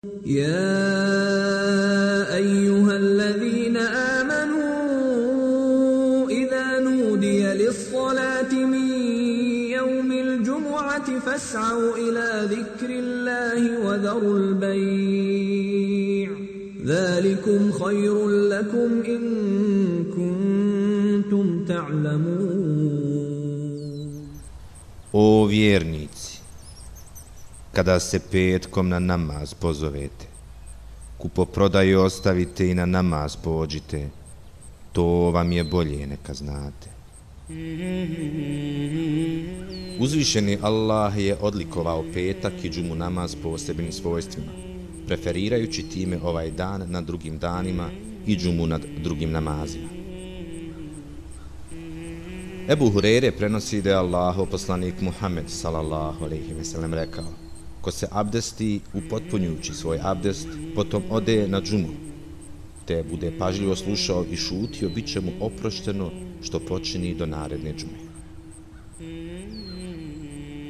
يا أيها الذين آمنوا إذا نودي للصلاة من يوم الجمعة فاسعوا إلى ذكر الله وذروا البيع ذلكم خير لكم إن كنتم تعلمون. O vjernici, kada se petkom na namaz pozovete, kupoprodaju ostavite i na namaz pođite, to vam je bolje neka znate. Uzvišeni Allah je odlikovao petak i džumu namaz posebnim svojstvima, preferirajući time ovaj dan nad drugim danima i džumu nad drugim namazima. Ebu Hureyre prenosi da je Allahov poslanik Muhammed sallallahu alejhi ve sellem rekao: ko se abdesti upotpunjujući svoj abdest, potom ode na džumu, te bude pažljivo slušao i šutio, bit će mu oprošteno što počini do naredne džume.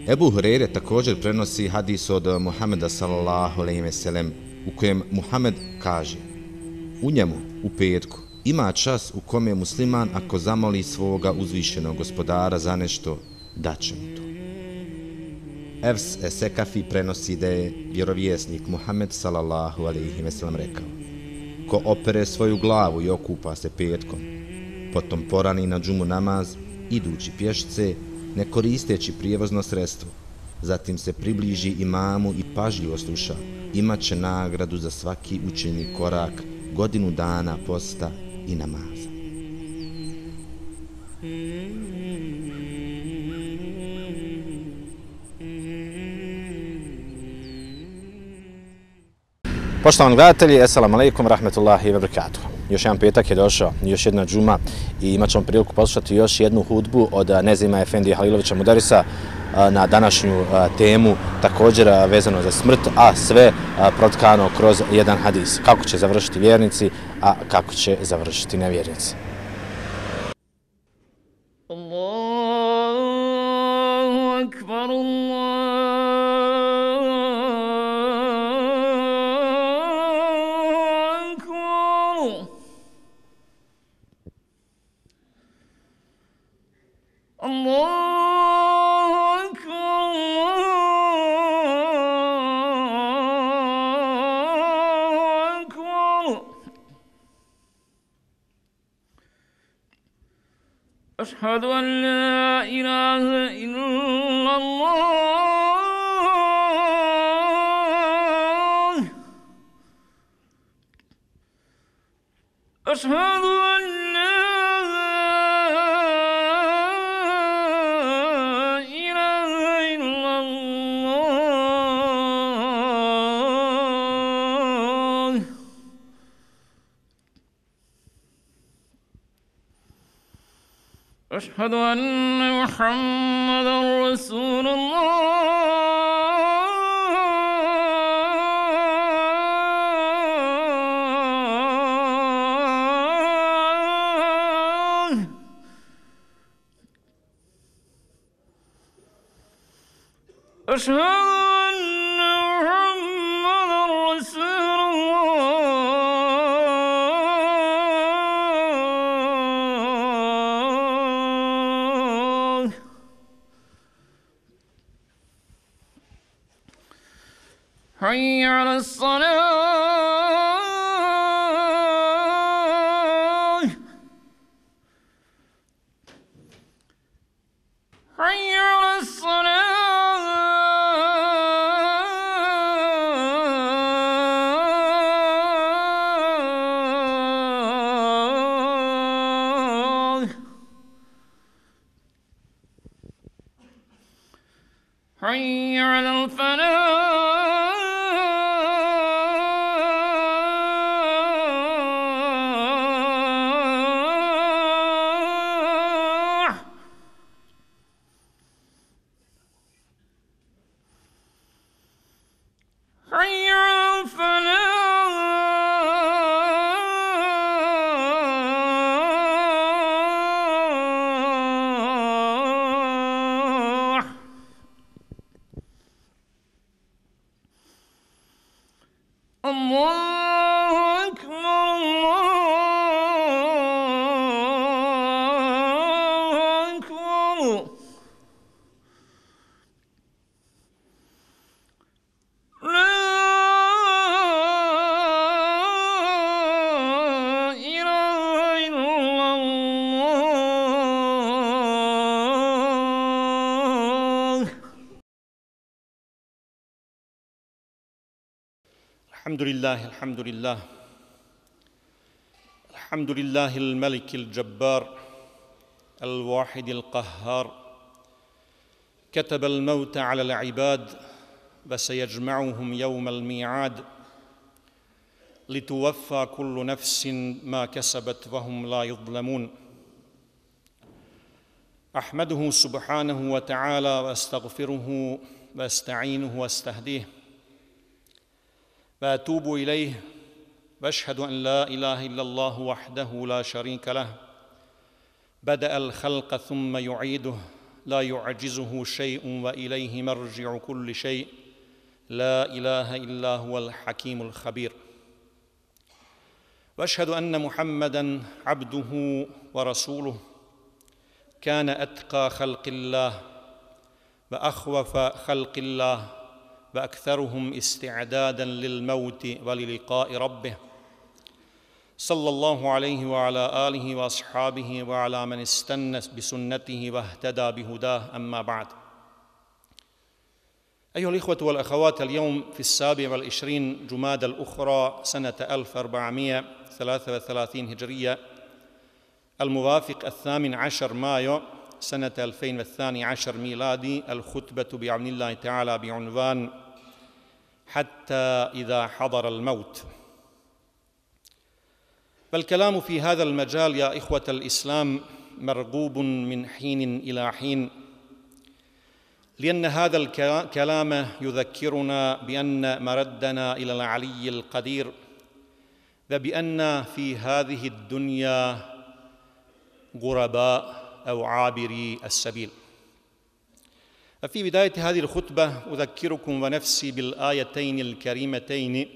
Ebu Hureyre također prenosi hadis od Muhameda sallallahu alejhi ve sellem u kojem Muhammed kaže: u njemu, u petku, ima čas u kome musliman ako zamoli svoga uzvišenog gospodara za nešto, daće mu to. Efs Esekafi prenosi da je vjerovjesnik Muhammed sallallahu alejhi ve sellem rekao: ko opere svoju glavu i okupa se petkom, potom porani na džumu namaz, idući pješce, ne koristeći prijevozno sredstvo, zatim se približi imamu i pažljivo sluša, imat će nagradu za svaki učeni korak, godinu dana posta i namaza. Poštovani gledatelji, assalamu alaikum, rahmetullahi wa barakatuh. Još jedan petak je došao, još jedna džuma i imat ćemo priliku poslušati još jednu hudbu od Nezima Efendije Halilovića Mudarisa na današnju temu, također vezano za smrt, a sve protkano kroz jedan hadis. Kako će završiti vjernici, a kako će završiti nevjernici. Allahu akbar, أشهد أن لا إله إلا الله أشهد أن لا إله إلا الله أشهد أن محمدا رسول الله أشهد أن محمدا رسول الله حي على الصلاة حي على الصلاة حي على الفلاح حي على الفلاح الحمد لله الحمد لله الملك الجبار الواحد القهار كتب الموت على العباد وسيجمعهم يوم الميعاد لتوفى كل نفس ما كسبت وهم لا يظلمون أحمده سبحانه وتعالى وأستغفره وأستعينه وأستهديه وأتوب إليه وأشهد أن لا إله إلا الله وحده لا شريك له بدأ الخلق ثم يعيده لا يعجزه شيء وإليه مرجع كل شيء لا إله إلا هو الحكيم الخبير وأشهد أن محمدًا عبده ورسوله كان أتقى خلق الله وأخوف خلق الله وأكثرهم استعدادًا للموت وللقاء ربه صلى الله عليه وعلى آله وأصحابه وعلى من استنى بسنته واهتدى بهداه أما بعد أيها الإخوة والأخوات اليوم في 27 جمادى الأخرى سنة 1433 هجرية الموافق 18 مايو سنة 2012 ميلادي الخطبة بعون الله تعالى بعنوان حتى إذا حضر الموت. فالكلام في هذا المجال يا إخوة الإسلام مرغوب من حين إلى حين، لأن هذا الكلام يذكرنا بأن مردنا إلى العلي القدير، وبأن في هذه الدنيا غرباء أو عابري السبيل. ففي بداية هذه الخطبة أذكركم ونفسي بالآيتين الكريمتين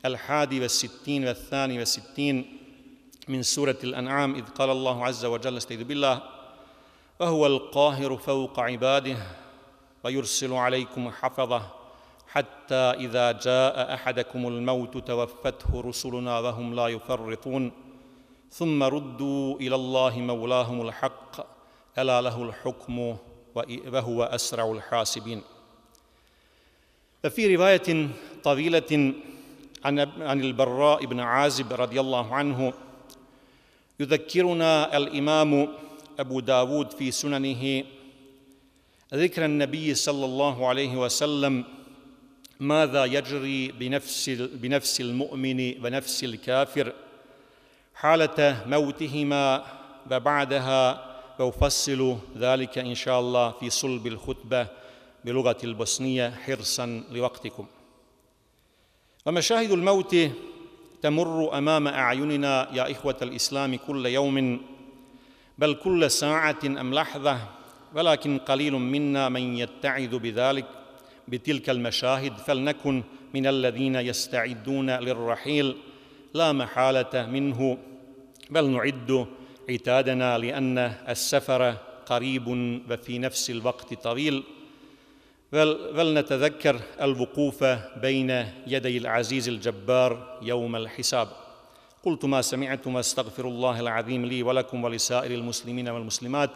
61 و62 من سورة الأنعام، إذ قال الله عز وجل استعيذ بالله وهو القاهر فوق عباده ويرسل عليكم حفظه حتى إذا جاء أحدكم الموت توفته رسلنا وهم لا يفرطون ثم ردوا إلى الله مولاهم الحق ألا له الحكم وهو أسرع الحاسبين. ففي رواية طويلة عن البراء بن عازب رضي الله عنه يذكرنا الإمام أبو داود في سننه ذكر النبي صلى الله عليه وسلم ماذا يجري بنفس المؤمن ونفس الكافر حالة موتهما وبعدها، وأفصل ذلك إن شاء الله في صلب الخطبة بلغة البوسنية حرصا لوقتكم. ومشاهد الموت تمر أمام أعيننا يا إخوة الإسلام كل يوم، بل كل ساعة أم لحظة، ولكن قليل منا من يتعظ بتلك المشاهد، فلنكن من الذين يستعدون للرحيل لا محالة منه، بل نعد عتادنا لأن السفر قريب وفي نفس الوقت طويل، ولنتذكر الوقوف بين يدي العزيز الجبار يوم الحساب. قلت ما سمعتم واستغفر الله العظيم لي ولكم ولسائر المسلمين والمسلمات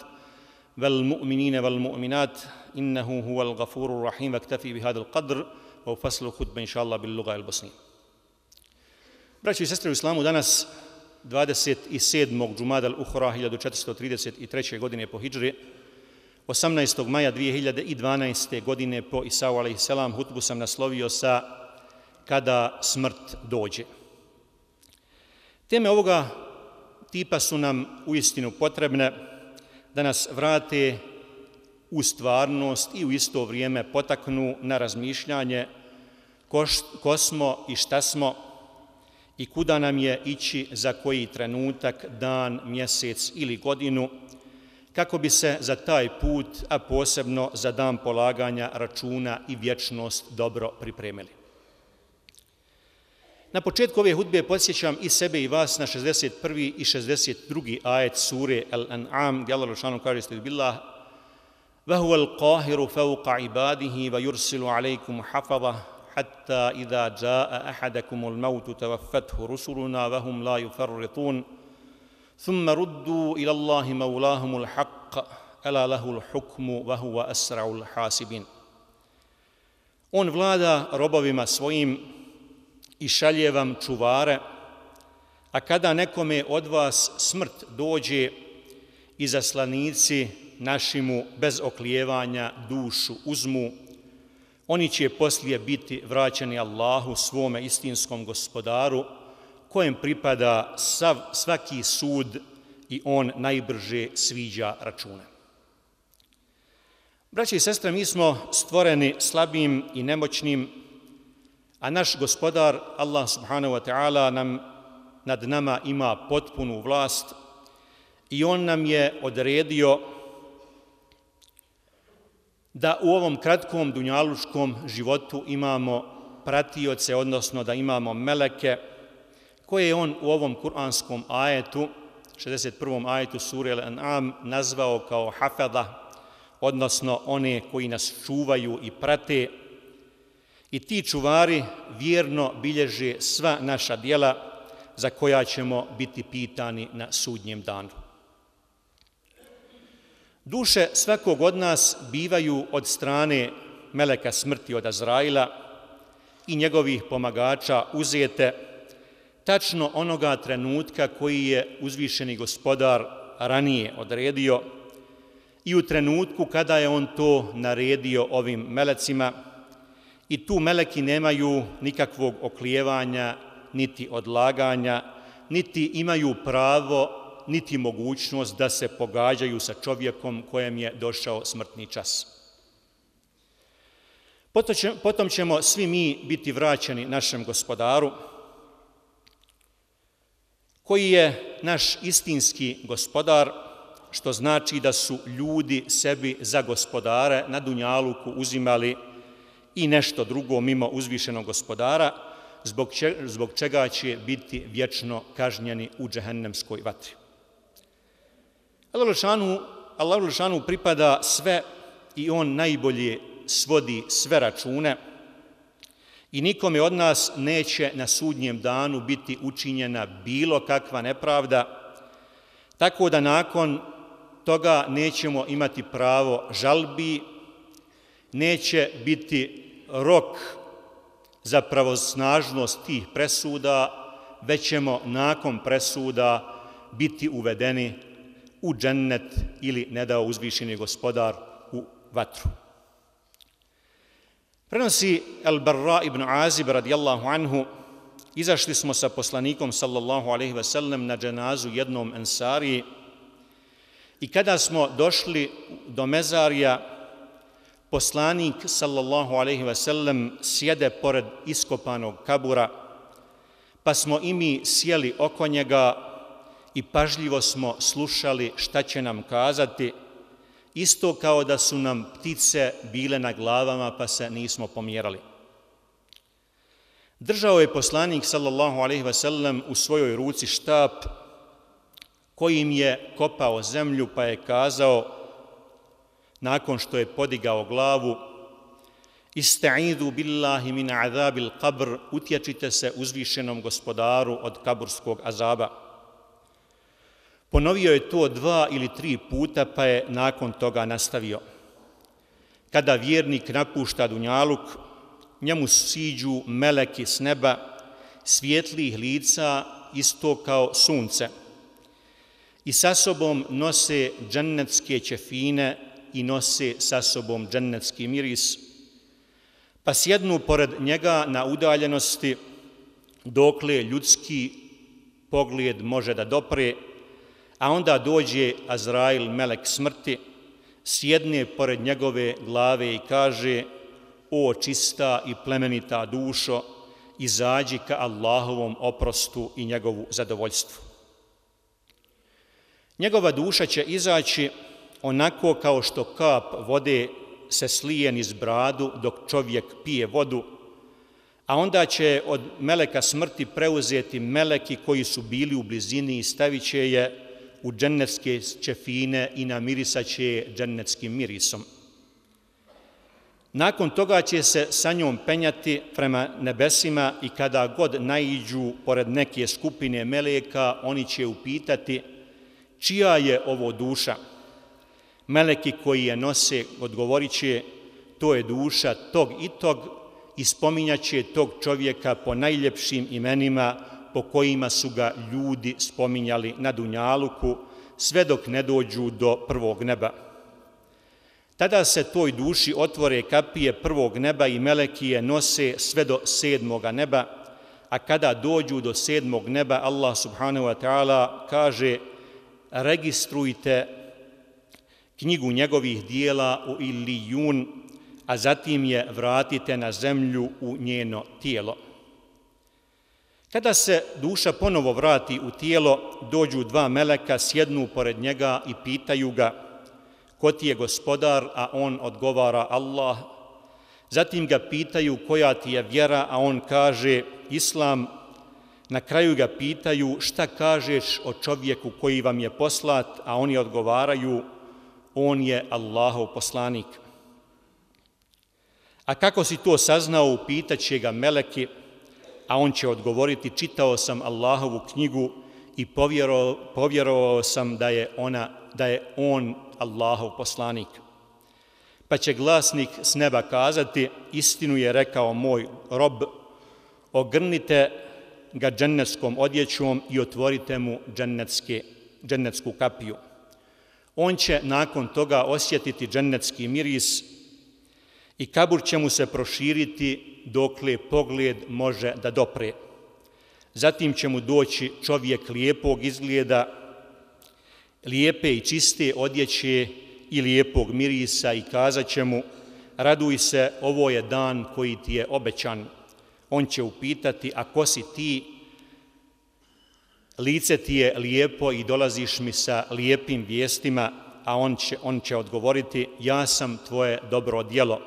والمؤمنين والمؤمنات إنه هو الغفور الرحيم. واكتفي بهذا القدر وفصل الخطبة إن شاء الله باللغة البوسنية. Braćo i sestre u islamu, danas 27. džumada al-Uhra 1433. godine po hidžri, 18. maja 2012. godine po Isau a.s. hutbu sam naslovio sa kada smrt dođe. Teme ovoga tipa su nam uistinu potrebne da nas vrate u stvarnost i u isto vrijeme potaknu na razmišljanje ko smo i šta smo i kuda nam je ići za koji trenutak, dan, mjesec ili godinu, kako bi se za taj put, a posebno za dan polaganja računa i vječnost dobro pripremili. Na početku ove hudbe podsjećam i sebe i vas na 61. i 62. ajet sure Al-An'am, gdje Allah dželešanu kaže estaizu billah وَهُوَ الْقَاهِرُ فَوْقَ عِبَادِهِ وَيُرْسِلُ عَلَيْكُمْ حَفَظَهُ حتى إذا جاء أحدكم الموت توفته رسلنا وهم لا يفرطون ثم ردوا إلى الله مولاهم الحق ألا له الحكم وهو أسرع الحاسبين. On vlada robovima svojim i šalje vam čuvare, a kada nekome od vas smrt dođe, izaslanici naši mu bez oklijevanja dušu uzmu, oni će poslije biti vraćeni Allahu, svome istinskom gospodaru, kojem pripada svaki sud i on najbrže sviđa račune. Braće i sestre, mi smo stvoreni slabim i nemoćnim, a naš gospodar, Allah subhanahu wa ta'ala, nad nama ima potpunu vlast i on nam je odredio da u ovom kratkom dunjalučkom životu imamo pratioce, odnosno da imamo meleke, koje je on u ovom kuranskom ajetu, 61. ajetu sure Al-An'am, nazvao kao hafada, odnosno one koji nas čuvaju i prate. I ti čuvari vjerno bilježe sva naša djela za koja ćemo biti pitani na sudnjem danu. Duše svakog od nas bivaju od strane meleka smrti, od Azraila i njegovih pomagača uzete tačno onoga trenutka koji je uzvišeni gospodar ranije odredio i u trenutku kada je on to naredio ovim melecima, i tu meleki nemaju nikakvog oklijevanja, niti odlaganja, niti imaju pravo, niti mogućnost da se pogađaju sa čovjekom kojem je došao smrtni čas. Potom ćemo svi mi biti vraćeni našem gospodaru, koji je naš istinski gospodar, što znači da su ljudi sebi za gospodare na dunjaluku uzimali i nešto drugo mimo uzvišenog gospodara, zbog čega će biti vječno kažnjeni u džehennemskoj vatri. Allahu dželešanu pripada sve i on najbolje svodi sve račune i nikome od nas neće na sudnjem danu biti učinjena bilo kakva nepravda, tako da nakon toga nećemo imati pravo žalbi, neće biti rok za pravosnažnost tih presuda, već ćemo nakon presuda biti uvedeni u džennet ili, ne dao uzvišeni gospodar, u vatru. Prenosi Al-Barra ibn Azib radijallahu anhu, izašli smo sa poslanikom sallallahu alejhi ve sellem na dženazu jednom ensariji i kada smo došli do mezarija, poslanik sallallahu alejhi ve sellem sjede pored iskopanog kabura, pa smo i mi sjeli oko njega i pažljivo smo slušali šta će nam kazati, isto kao da su nam ptice bile na glavama pa se nismo pomjerali. Držao je poslanik sallallahu alejhi ve sellem u svojoj ruci štap kojim je kopao zemlju, pa je kazao, nakon što je podigao glavu: Istaidu billahi min azabil qabr, utječite se uzvišenom gospodaru od kaburskog azaba. Ponovio je to 2 ili 3 puta, pa je nakon toga nastavio: Kada vjernik napušta dunjaluk, njemu siđu meleki s neba, svjetlih lica isto kao sunce, i sa sobom nose džennetske ćefine i nose sa sobom džennetski miris, pa sjednu pored njega na udaljenosti dokle ljudski pogled može da dopre, a onda dođe Azrail, melek smrti, sjedne pored njegove glave i kaže: O čista i plemenita dušo, izađi ka Allahovom oprostu i njegovu zadovoljstvu. Njegova duša će izaći onako kao što kap vode se slije niz bradu dok čovjek pije vodu, a onda će od meleka smrti preuzeti meleki koji su bili u blizini i stavit će je u džennetske ćefine i namirisat će je džennetskim mirisom. Nakon toga će se sa njom penjati prema nebesima i kada god naiđu pored neke skupine meleka, oni će upitati: čija je ovo duša? Meleki koji je nose odgovorit će: to je duša tog i tog, i spominjat će tog čovjeka po najljepšim imenima po kojima su ga ljudi spominjali na dunjaluku, sve dok ne dođu do prvog neba. Tada se toj duši otvore kapije prvog neba i meleki je nose sve do 7. neba, a kada dođu do 7. neba, Allah subhanahu wa ta'ala kaže: registrujte knjigu njegovih dijela u Ilijun, a zatim je vratite na zemlju u njeno tijelo. Kada se duša ponovo vrati u tijelo, dođu 2 meleka, sjednu pored njega i pitaju ga: ko ti je gospodar? A on odgovara: Allah. Zatim ga pitaju: koja ti je vjera? A on kaže: Islam. Na kraju ga pitaju: šta kažeš o čovjeku koji vam je poslat? A oni odgovaraju: on je Allahov poslanik. A kako si to saznao? Pitaće ga meleki, a on će odgovoriti: čitao sam Allahovu knjigu i povjerovao sam da je on Allahov poslanik. Pa će glasnik s neba kazati: istinu je rekao moj rob, ogrnite ga džennetskom odjećom i otvorite mu džennetsku kapiju. On će nakon toga osjetiti džennetski miris i kabur će mu se proširiti dokle pogled može da dopre. Zatim će mu doći čovjek lijepog izgleda, lijepe i čiste odjeće i lijepog mirisa i kazat će mu: raduj se, ovo je dan koji ti je obećan. On će upitati: a ko si ti? Lice ti je lijepo i dolaziš mi sa lijepim vijestima, a on će odgovoriti: ja sam tvoje dobro djelo.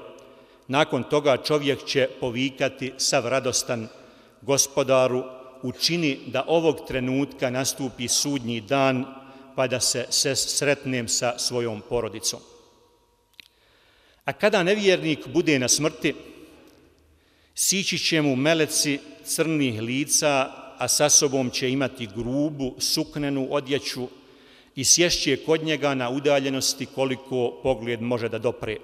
Nakon toga čovjek će povikati sav radostan: gospodaru, učini da ovog trenutka nastupi sudnji dan, pa da se sretnem sa svojom porodicom. A kada nevjernik bude na smrti, sići će mu meleci crnih lica, a sa sobom će imati grubu, suknenu odjeću i sješće kod njega na udaljenosti koliko pogled može da dopre.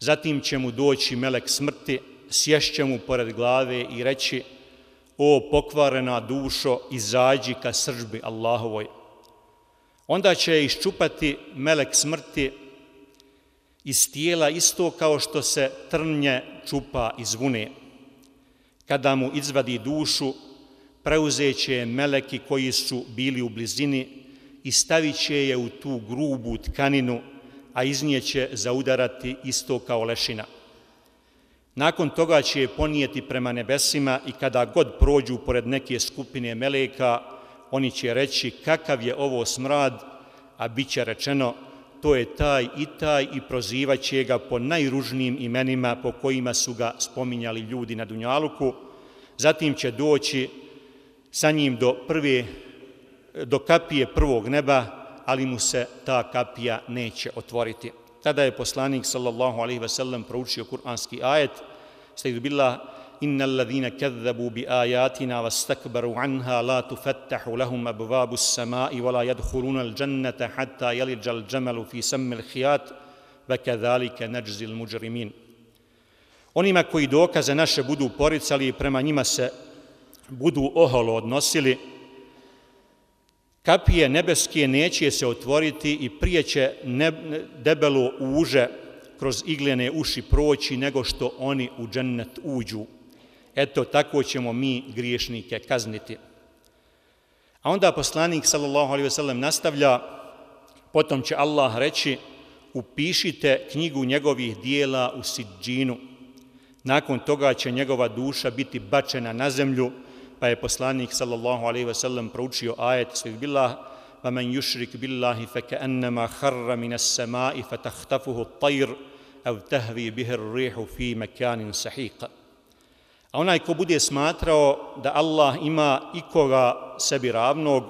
Zatim će mu doći melek smrti, sješće mu pored glave i reći: o pokvarena dušo, izađi ka srdžbi Allahovoj. Onda će iščupati melek smrti iz tijela isto kao što se trnje čupa iz vune. Kada mu izvadi dušu, preuzeće je meleki koji su bili u blizini i stavit će je u tu grubu tkaninu, a iz nje će zaudarati isto kao lešina. Nakon toga će je ponijeti prema nebesima i kada god prođu pored neke skupine meleka, oni će reći: kakav je ovo smrad, a bit će rečeno: to je taj i prozivat će ga po najružnijim imenima po kojima su ga spominjali ljudi na dunjaluku. Zatim će doći sa njim do kapije prvog neba, ali mu se ta kapija neće otvoriti. Tada je poslanik sallallahu alejhi ve sellem proučio kuranski ajet: Estaizu billah, innal ladhina kazzabu bi ayatina wastakbaru anha la tufattahu lahum abwabus samai wa la yadkhuluna al-jannata hatta yalija al-jamalu fi sammi al-khiyat wa kadhalika najzi al-mujrimin. Onima koji dokaze naše budu poricali i prema njima se budu oholo odnosili, kapije nebeske neće se otvoriti i prije će debelo uže kroz iglene uši proći nego što oni u džennet uđu. Eto, tako ćemo mi griješnike kazniti. A onda poslanik sallallahu alejhi ve sellem nastavlja: potom će Allah reći: upišite knjigu njegovih dijela u sidžinu. Nakon toga će njegova duša biti bačena na zemlju, pa je poslanik sallallahu alejhi ve sellem proučio ajet: Bismillah, wa man yushrik billahi fakannama kharra min as-sama'i fatakhtafuhu at-tayr aw tahwi bihi ar-rihu fi makanin sahiq. A onaj ko bude smatrao da Allah ima ikoga sebi ravnog,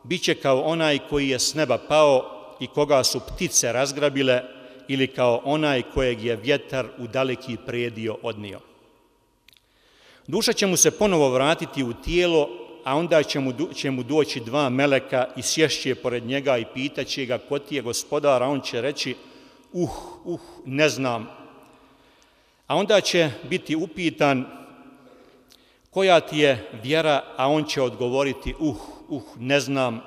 biće kao onaj koji je s neba pao i koga su ptice razgrabile, ili kao onaj kojeg je vjetar u daleki predio odnio. Duša će mu se ponovo vratiti u tijelo, a onda će mu doći 2 meleka i sješće pored njega i pitaće ga: ko ti je gospodar? A on će reći: ne znam. A onda će biti upitan koja ti je vjera, a on će odgovoriti ne znam.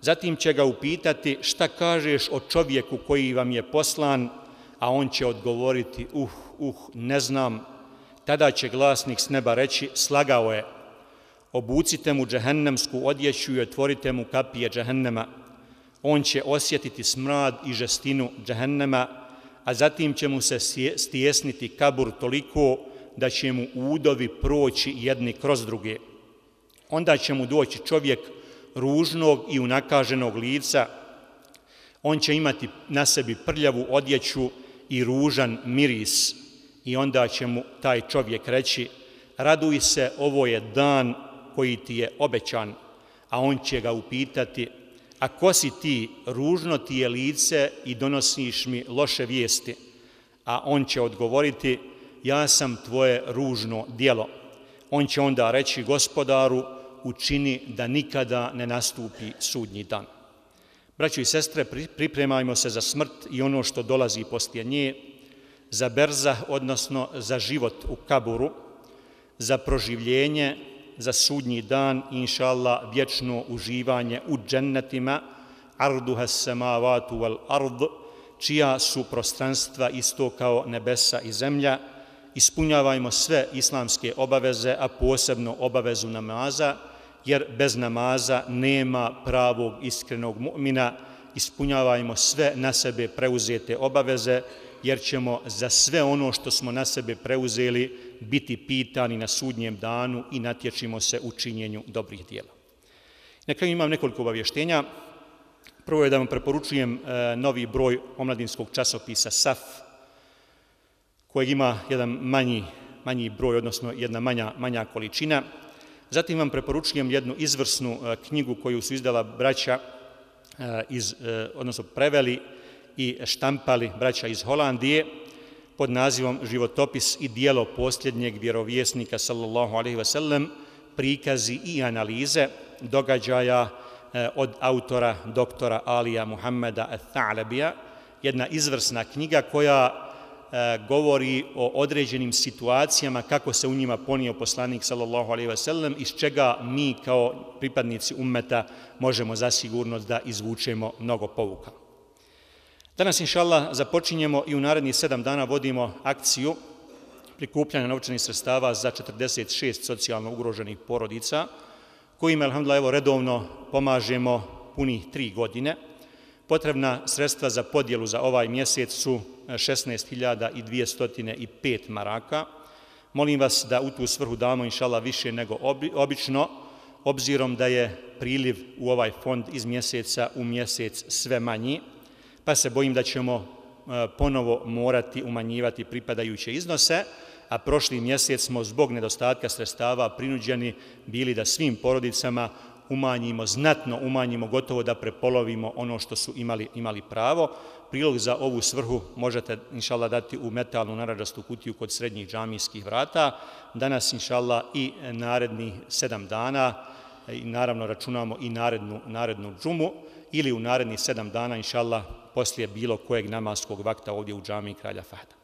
Zatim će ga upitati šta kažeš o čovjeku koji vam je poslan, a on će odgovoriti ne znam. Tada će glasnik s neba reći slagao je. Obucite mu džehennemsku odjeću i otvorite mu kapije džehennema. On će osjetiti smrad i žestinu džehennema, a zatim će mu se stjesniti kabur toliko da će mu udovi proći jedni kroz druge. Onda će mu doći čovjek ružnog i unakaženog lica. On će imati na sebi prljavu odjeću i ružan miris. I onda će mu taj čovjek reći raduj se, ovo je dan koji ti je obećan. A on će ga upitati a ko si ti, ružno ti je lice i donosiš mi loše vijesti. A on će odgovoriti ja sam tvoje ružno djelo. On će onda reći gospodaru učini da nikada ne nastupi sudnji dan. Braćo i sestre, pripremajmo se za smrt i ono što dolazi poslije nje, za berzah, odnosno za život u kaburu, za proživljenje, za sudnji dan i inša Allah vječno uživanje u džennetima, arduha samavatu wal ard, čija su prostranstva isto kao nebesa i zemlja. Ispunjavajmo sve islamske obaveze, a posebno obavezu namaza, jer bez namaza nema pravog iskrenog mu'mina. Ispunjavajmo sve na sebe preuzete obaveze, jer ćemo za sve ono što smo na sebe preuzeli biti pitani na sudnjem danu i natječimo se u činjenju dobrih djela. Na kraju imam nekoliko obavještenja. Prvo je da vam preporučujem novi broj omladinskog časopisa SAF, kojeg ima jedan manji broj, odnosno jedna manja količina. Zatim vam preporučujem jednu izvrsnu knjigu koju su izdala braća, odnosno preveli i štampali braća iz Holandije pod nazivom Životopis i dijelo posljednjeg vjerovjesnika sallallahu alejhi ve sellem, prikazi i analize događaja od autora doktora Alija Muhammeda al-Tha'labija, jedna izvrsna knjiga koja govori o određenim situacijama kako se u njima ponio poslanik sallallahu alejhi ve sellem, iz čega mi kao pripadnici ummeta možemo zasigurno da izvučemo mnogo pouka. Danas, inša Allah, započinjemo i u narednih 7 dana vodimo akciju prikupljanja novčanih sredstava za 46 socijalno ugroženih porodica, kojima, alhamdulillah, redovno pomažemo punih 3 godine. Potrebna sredstva za podjelu za ovaj mjesec su 16.205 maraka. Molim vas da u tu svrhu damo, inša Allah, više nego obično, obzirom da je priliv u ovaj fond iz mjeseca u mjesec sve manji, pa se bojim da ćemo ponovo morati umanjivati pripadajuće iznose, a prošli mjesec smo zbog nedostatka sredstava prinuđeni bili da svim porodicama znatno umanjimo, gotovo da prepolovimo ono što su imali pravo. Prilog za ovu svrhu možete, inša Allah, dati u metalnu narandžastu kutiju kod srednjih džamijskih vrata. Danas, inša Allah, i narednih 7 dana, i naravno računamo i narednu džumu, ili u narednih 7 dana, inša Allah, poslije bilo kojeg namaskog vakta ovdje u džamiji Kralja Fahda.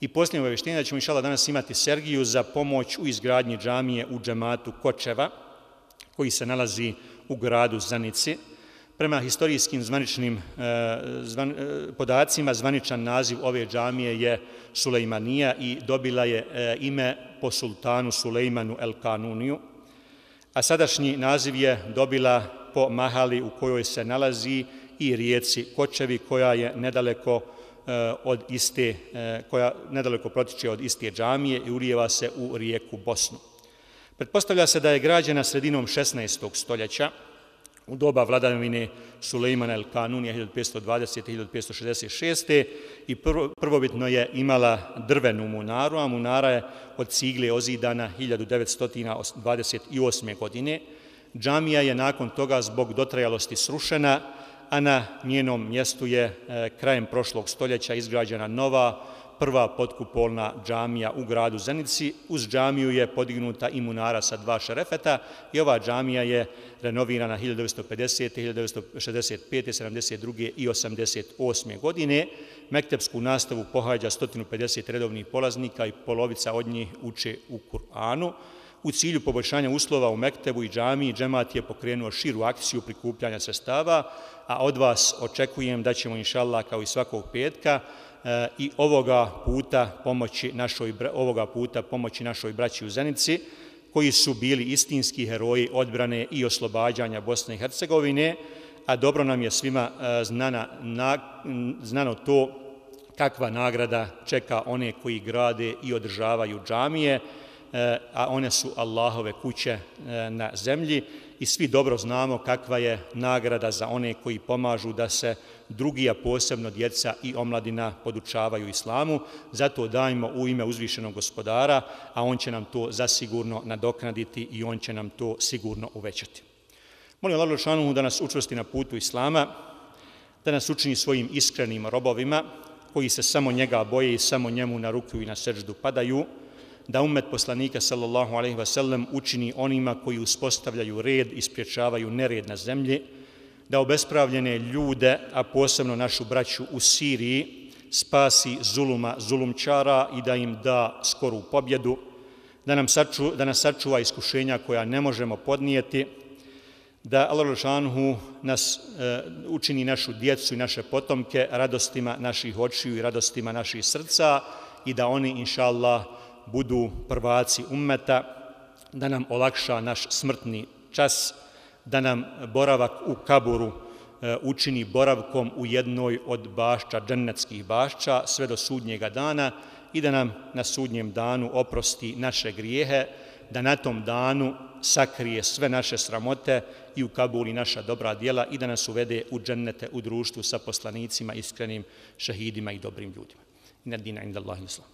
I posljednje obavještenje da ćemo, inša Allah, danas imati Sergiju za pomoć u izgradnji džamije u džematu Kočeva, koji se nalazi u gradu Zanici. Prema historijskim podacima, zvaničan naziv ove džamije je Sulejmanija i dobila je ime po sultanu Sulejmanu el Kanuniju, a sadašnji naziv je dobila po mahali u kojoj se nalazi i rijeci Kočevi, koja je nedaleko protiče od iste džamije i ulijeva se u rijeku Bosnu. Pretpostavlja se da je građena sredinom 16. stoljeća u doba vladavine Sulejmana el Kanunija 1520-1566. i prvobitno je imala drvenu munaru, a munara je od cigle ozidana 1928. godine. Džamija je nakon toga zbog dotrajalosti srušena, a na njenom mjestu je krajem prošlog stoljeća izgrađena nova prva potkupolna džamija u gradu Zenici. Uz džamiju je podignuta i munara sa 2 šerefeta i ova džamija je renovirana 1950., 1965., 72. i 88. godine. Mektepsku nastavu pohađa 150 redovnih polaznika i polovica od njih uče u Kur'anu. U cilju poboljšanja uslova u Mektebu i džamiji, džemat je pokrenuo širu akciju prikupljanja sredstava, a od vas očekujem da ćemo, inšallah, kao i svakog petka, i ovoga puta pomoći našoj braći u Zenici, koji su bili istinski heroji odbrane i oslobađanja Bosne i Hercegovine, a dobro nam je svima znano to kakva nagrada čeka one koji grade i održavaju džamije, a one su Allahove kuće na zemlji i svi dobro znamo kakva je nagrada za one koji pomažu da se drugi, a posebno djeca i omladina podučavaju islamu. Zato dajmo u ime uzvišenog Gospodara, a on će nam to zasigurno nadoknaditi i on će nam to sigurno uvećati. Molim Allah dželešanohu da nas učvrsti na putu islama, da nas učini svojim iskrenim robovima koji se samo njega boje i samo njemu na ruku i na seždu padaju, da ummet poslanika sallallahu alejhi ve sellem učini onima koji uspostavljaju red i spriječavaju nered na zemlji, da obespravljene ljude, a posebno našu braću u Siriji, spasi zulumčara i da im da skoru pobjedu, da nas sačuva iskušenja koja ne možemo podnijeti, da Allah dželešanohu nas učini našu djecu i naše potomke radostima naših očiju i radostima naših srca i da oni, inšallah, budu prvaci ummeta, da nam olakša naš smrtni čas, da nam boravak u kaburu učini boravkom u jednoj od bašća, džennetskih bašća, sve do sudnjega dana i da nam na sudnjem danu oprosti naše grijehe, da na tom danu sakrije sve naše sramote i ukabuli naša dobra djela i da nas uvede u džennete u društvu sa poslanicima, iskrenim šehidima i dobrim ljudima. Inna dina inda Allahi islam.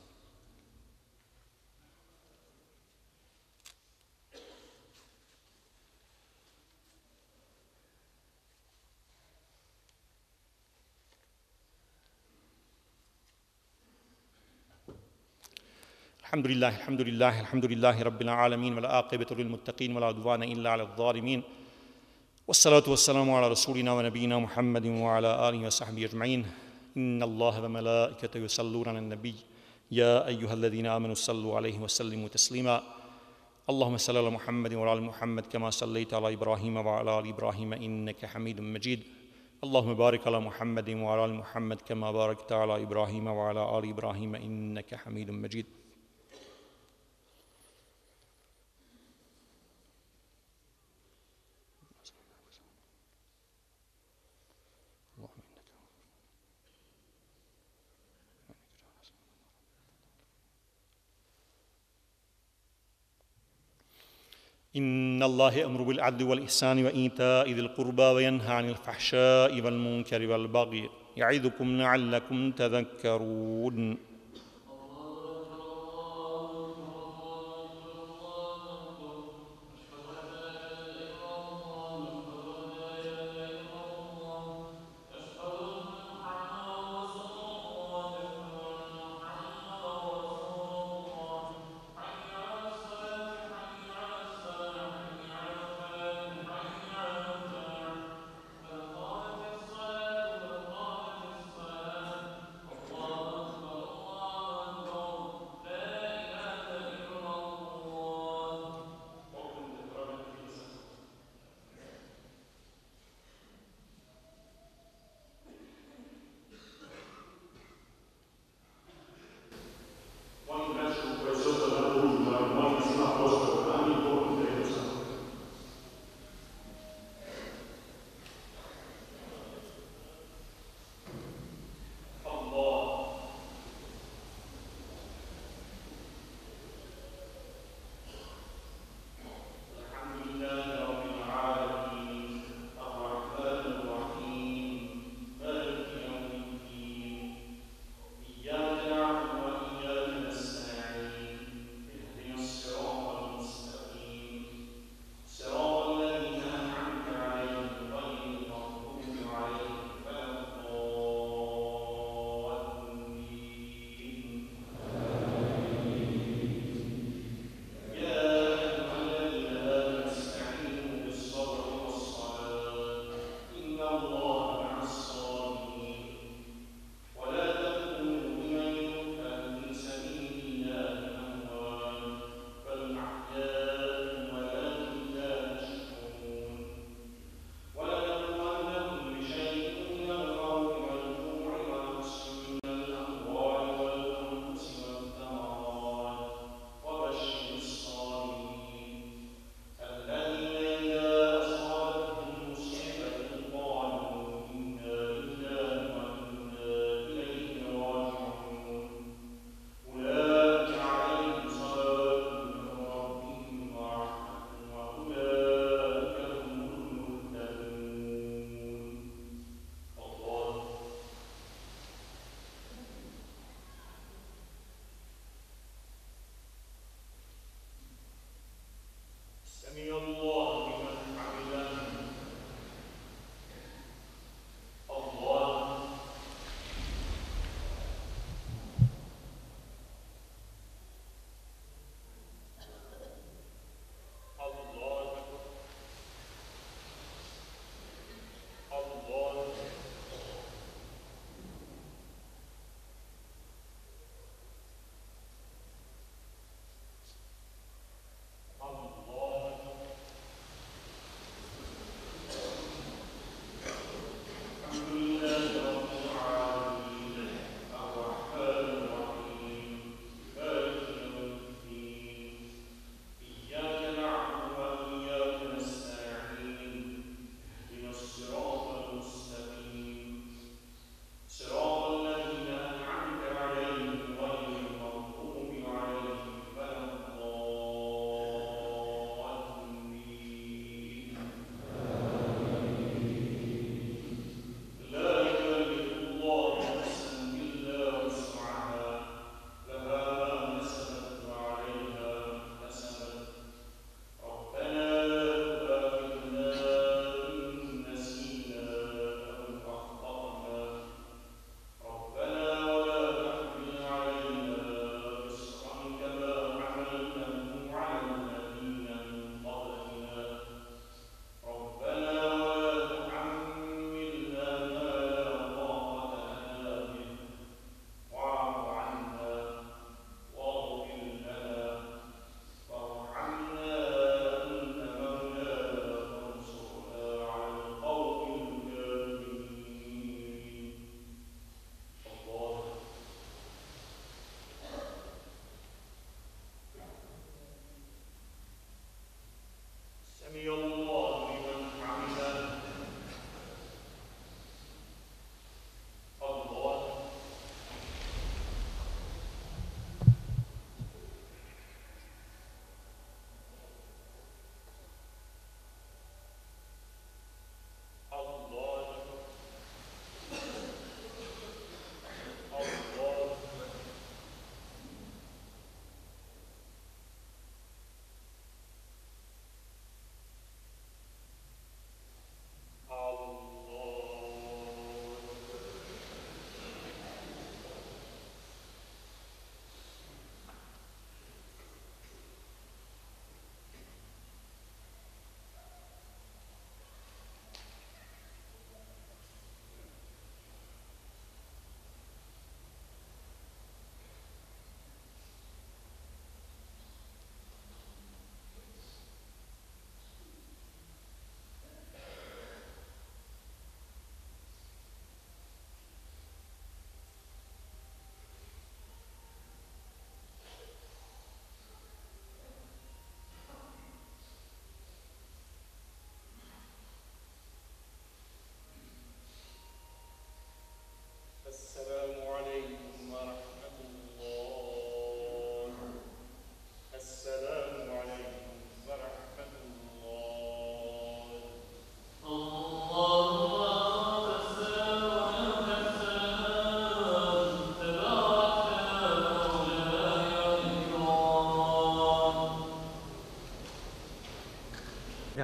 الحمد لله رب العالمين والعاقبة للمتقين ولا عدوان إلا على الظالمين والصلاة والسلام على رسولنا ونبينا محمد وعلى آله وصحبه أجمعين إن الله وملائكته يصلون على النبي يا أيها الذين آمنوا صلوا عليه وسلموا تسليما اللهم صل على محمد وعلى آل محمد كما صليت على إبراهيم وعلى آل إبراهيم إنك حميد مجيد اللهم بارك على محمد وعلى آل محمد كما باركت على إبراهيم وعلى آل إبراهيم إنك حميد مجيد. إن الله يأمر بالعدل والإحسان وإيتاء ذي القربى وينهى عن الفحشاء والمنكر والبغي يعظكم لعلكم تذكرون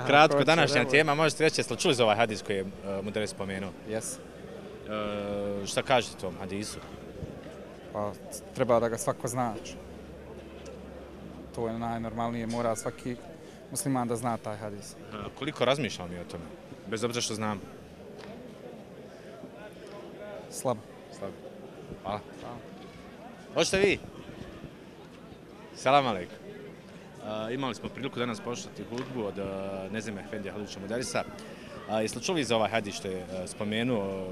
Kratko, današnja tema, možete reći, jeste li čuli za ovaj hadis koji je Mudaris spomenuo? Jes. Šta kažete tom hadisu? Pa treba da ga svako zna. To je najnormalnije, mora svaki musliman da zna taj hadis. Koliko razmišljamo mi o tome? Bez obzira što znam. Slabo. Hvala. Hoćete vi? Salam alejkum. Imali smo priliku danas poslušati hudbu od Nezime Efendija Halilovića Mudarisa. Jeste li čuli za ovaj hadis što je spomenuo,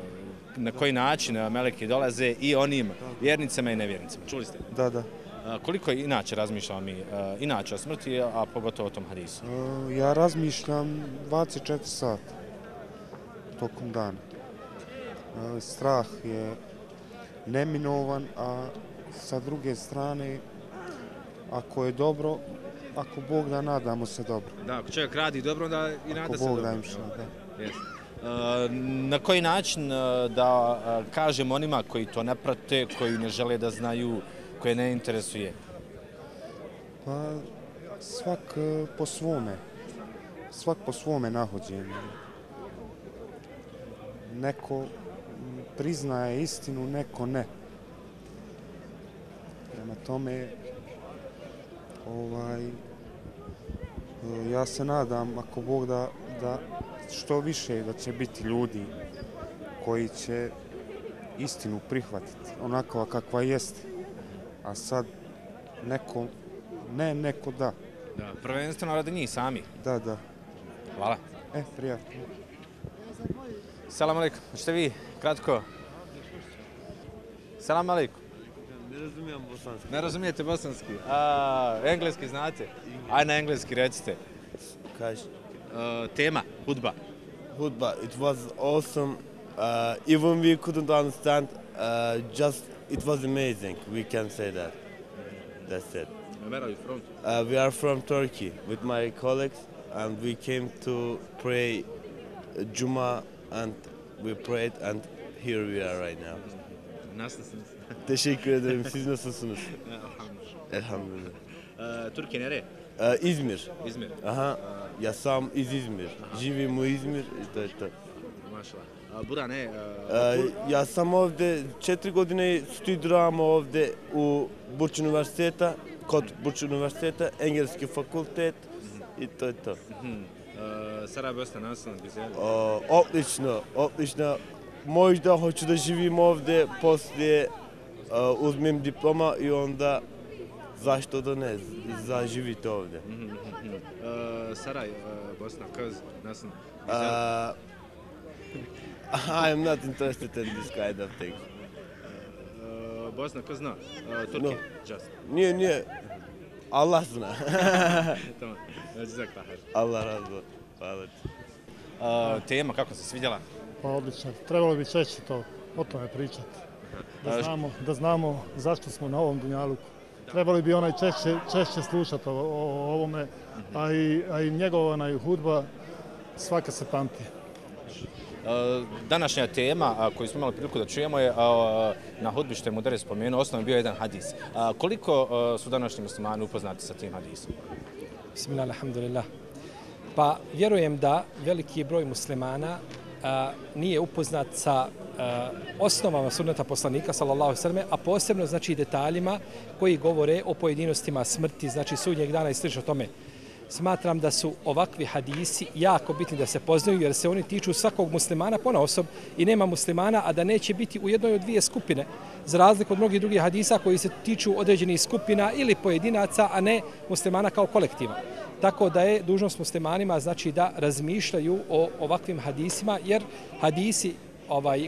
na koji način meleki dolaze i onim vjernicama i nevjernicima? Čuli ste? Da. Koliko inače razmišljamo mi inače o smrti, a pogotovo o tom hadisu? Ja razmišljam 24 sata tokom dana. Strah je neminovan, a sa druge strane, ako je dobro, ako Bog da, nadamo se dobro. Da, ako čovjek radi dobro, onda i nada se dobro. Ako Bog da. Yes. Na koji način da kažemo onima koji to ne prate, koji ne žele da znaju, koje ne interesuje? Pa svak po svome nahođenju. Neko priznaje istinu, neko ne. Prema tome, ja se nadam, ako Bog da što više da će biti ljudi koji će istinu prihvatiti, onakva kakva jeste. A sad neko ne, neko da. Da, prvenstveno radi njih sami. Da. Hvala. Prijatno. Salam alejkum. Hoćete vi kratko? Salam alejkum. Ne razumijem bosanski. Ne razumijete bosanski? Engleski znate? Aj na engleski recite. Kaži. Tema, hudba. Hudba, it was awesome. Even we couldn't understand, just it was amazing. We can say that. That's it. Where are you from? We are from Turkey with my colleagues, and we came to pray Juma, and we prayed, and here we are right now. Nasılsınız? Teşekkür ederim. Siz nasılsınız? Elhamdülillah. Türkiye nereye? İzmir. İzmir. Aha. Ja sam iz Izmir. Živim u Izmir i to je to. Mašallah. Bura ne? Ja sam ovdje 4 godine studiram ovdje u Burç Üniversiteta, kod Burç Üniversiteta, engleski fakultet i to je to. Sarajevo nasıl güzel? Odlično. Možda hoću da živim ovdje, poslije uzmem diploma i onda zašto da ne, zaživite ovdje. Saray, Bosna, kız, nasıl? I am not interested in this kind of thing. Bosna, kız zna? Turkey, just. Nije. Allah zna. Tamam, cezakallahir. Allah razı olsun. Hvala ti. Tema, kako se svidjela? Pa odlično. Trebalo bi češće o tome pričati. Da znamo zašto smo na ovom dunjaluku. Trebali bi češće slušati o ovome, a i njegova hudba svaka se pamti. Današnja tema koju smo imali priliku da čujemo je na hudbi što je Mudaris spomenuo, osnovno bio jedan hadis. Koliko su današnji muslimani upoznati sa tim hadisom? Bismillah, alhamdulillah. Pa vjerujem da veliki broj muslimana nije upoznat sa osnovama sunneta poslanika sallallahu alejhi ve selleme, a posebno znači detaljima koji govore o pojedinostima smrti, znači sudnjeg dana i slično tome. Smatram da su ovakvi hadisi jako bitni da se poznaju jer se oni tiču svakog muslimana ponaosob i nema muslimana, a da neće biti u jednoj od dvije skupine, za razliku od mnogih drugih hadisa koji se tiču određenih skupina ili pojedinaca, a ne muslimana kao kolektiva. Tako da je dužnost muslimanima znači da razmišljaju o ovakvim hadisima, jer hadisi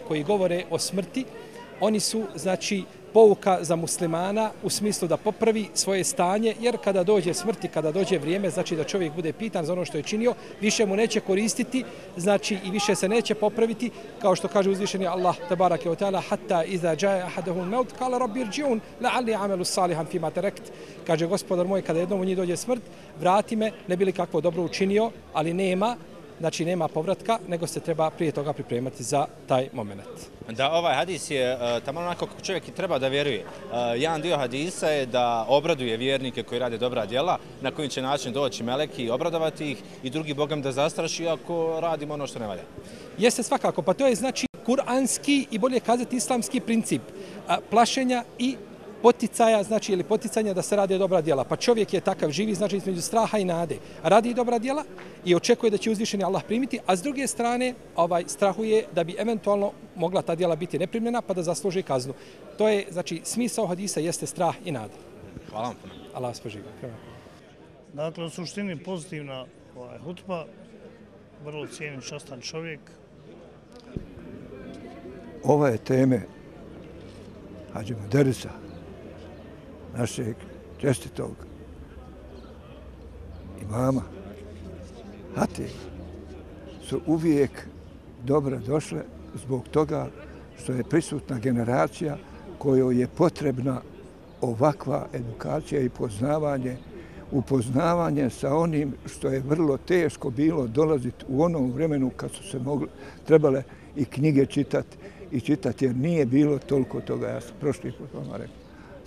koji govore o smrti, oni su znači pouka za muslimana u smislu da popravi svoje stanje, jer kada dođe smrt i kada dođe vrijeme, znači da čovjek bude pitan za ono što je činio, više mu neće koristiti, znači i više se neće popraviti, kao što kaže uzvišeni Allah tebareke ve taala, hatta iza jaa ahaduhum maut qala rabbi irji'un la'alli a'malu salihan fima tarakt. Kaže gospodar moj, kada jednom u njih dođe smrt, vrati me, ne bi li kakvo dobro učinio, ali nema, znači nema povratka, nego se treba prije toga pripremati za taj moment. Da, ovaj hadis je tamo onako kako čovjek i treba da vjeruje. Jedan dio hadisa je da obraduje vjernike koji rade dobra djela, na koji će način doći meleki i obradovati ih, i drugi bogam da zastraši ako radimo ono što ne valja. Jeste svakako, pa to je znači kuranski i bolje kazati islamski princip plašenja i poticaja, znači ili poticanja da se rade dobra djela. Pa čovjek je takav, živi znači između straha i nade. Radi dobra djela i očekuje da će uzvišeni Allah primiti, a s druge strane strahuje da bi eventualno mogla ta djela biti neprimljena pa da zasluži kaznu. To je, znači, smisao hadisa jeste strah i nada. Hvala vam puno. Allah vas poživi. Dakle, u suštini pozitivna hutba, vrlo cijenim, častan čovjek. Ove teme Hadži Muderisa, našeg čestitog imama, hatije, su uvijek dobro došle zbog toga što je prisutna generacija kojoj je potrebna ovakva edukacija i upoznavanje sa onim što je vrlo teško bilo dolaziti u onom vremenu kad su se trebale i knjige čitati jer nije bilo toliko toga, ja sam prošli put vama rekao.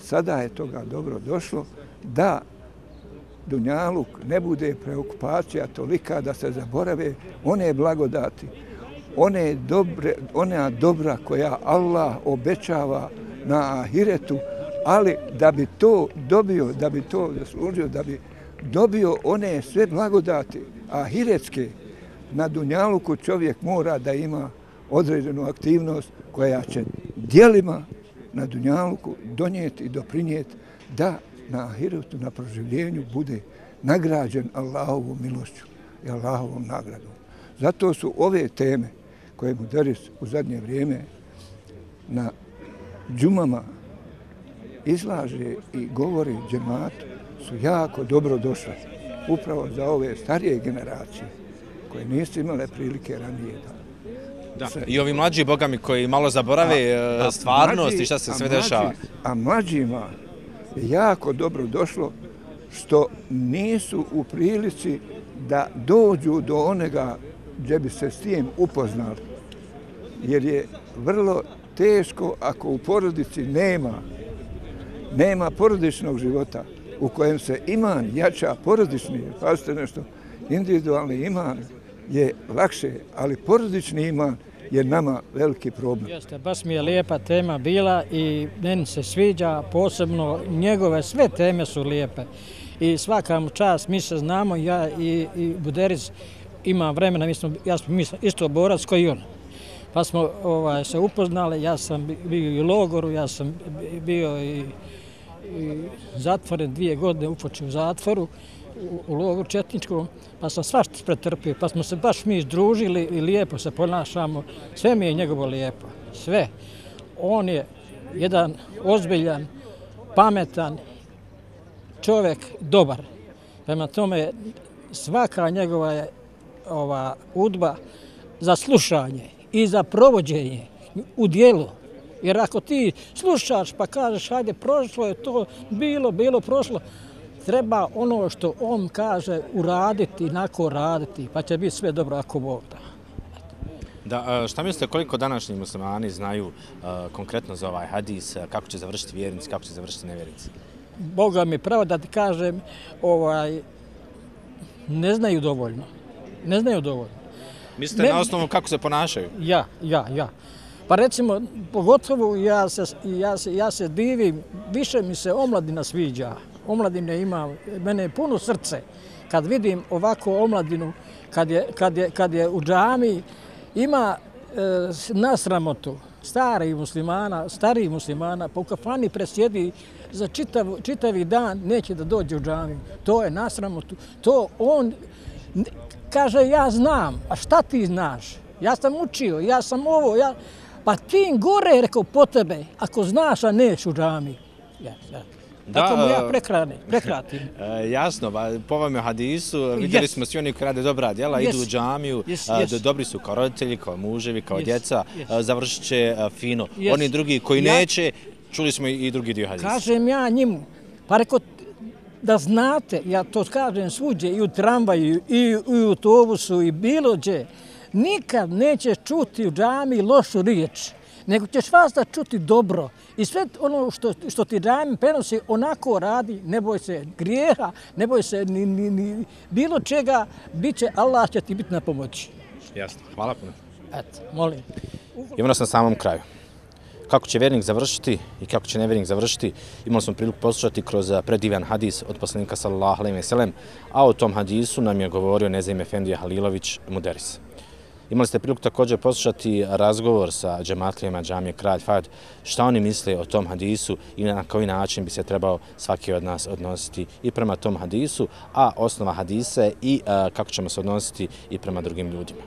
Sada je toga dobro došlo da dunjaluk ne bude preokupacija tolika da se zaborave one blagodati, ona dobra koja Allah obećava na ahiretu, ali da bi to dobio, da bi to zaslužio, da bi dobio one sve blagodati ahiretske, na dunjaluku čovjek mora da ima određenu aktivnost koja će djelima na dunjaluku donijeti i doprinijeti da na ahiretu, na proživljenju bude nagrađen Allahovom milošću i Allahovom nagradom. Zato su ove teme koje Muderis u zadnje vrijeme na džumama izlaže i govori džematu su jako dobro došle upravo za ove starije generacije koje nisu imale prilike ranije da. I ovi mlađi bogami koji malo zaborave stvarnost i šta se sve dešava. A mlađima je jako dobro došlo što nisu u prilici da dođu do onega gdje bi se s tim upoznali. Jer je vrlo teško ako u porodici nema porodičnog života u kojem se iman jača porodični, pazite nešto, individualni iman je lakše, ali porodični iman je nama veliki problem. Jeste, baš mi je lijepa tema bila i meni se sviđa, posebno njegove sve teme su lijepe. I svaka mu čast, mi se znamo, ja i Muderis ima vremena, ja sam isto borac koji i on. Pa smo se upoznali, ja sam bio i u logoru, ja sam bio i zatvoren 2 godine, upočeo u zatvoru, u logoru četničkom, pa sam svašta pretrpio, pa smo se baš mi združili i lijepo se ponašamo. Sve mi je njegovo lijepo, sve. On je jedan ozbiljan, pametan čovjek, dobar. Prema tome, svaka njegova je hudba za slušanje i za provođenje u dijelu. Jer ako ti slušaš pa kažeš, hajde, prošlo je to, bilo, prošlo, treba ono što on kaže uraditi, inako raditi, pa će biti sve dobro ako Bog da. Da, šta mislite koliko današnji muslimani znaju konkretno za ovaj hadis, kako će završiti vjernici, kako će završiti nevjernici? Boga mi pravo da ti kažem, ne znaju dovoljno. Ne znaju dovoljno. Mislite na osnovu kako se ponašaju? Ja. Pa recimo, pogotovo ja se divim, više mi se omladina sviđa. Omladine ima, mene je puno srce. Kad vidim ovako omladinu, kad je u džami, ima nasramotu starih muslimana, pa u kafani presjedi za čitavi dan, neće da dođe u džami. To je nasramotu. To on kaže, ja znam, a šta ti znaš? Ja sam učio, ja sam ovo, pa tim gore, rekao, po tebe, ako znaš, a neš u džami. Tako mu ja prekratim. Jasno, po vam je hadisu, vidjeli smo svi oni koji rade dobra djela, idu u džamiju, dobri su kao roditelji, kao muževi, kao djeca, završit će fino. Oni drugi koji neće, čuli smo i drugi dio hadisa. Kažem ja njemu, pa rekao, da znate, ja to kažem svuđe, i u tramvaju, i u autobusu, i bilo gdje, nikad nećeš čuti u džami lošu riječ, nego ćeš vas da čuti dobro. I sve ono što ti džami prenosi, onako radi, ne boj se grijeha, ne boj se ni bilo čega, Allah će ti biti na pomoći. Jasno, hvala puno. Eto, molim. Imamo nas na samom kraju. Kako će vjernik završiti i kako će nevjernik završiti, imali smo priliku poslušati kroz predivan hadis od poslanika sallallahu alejhi ve sellem, a o tom hadisu nam je govorio Nezim Efendija Halilović Muderis. Imali ste priliku također poslušati razgovor sa džematlijama džamije Kralj Fahd, šta oni misle o tom hadisu i na koji način bi se trebao svaki od nas odnositi i prema tom hadisu, a osnova hadisa i kako ćemo se odnositi i prema drugim ljudima.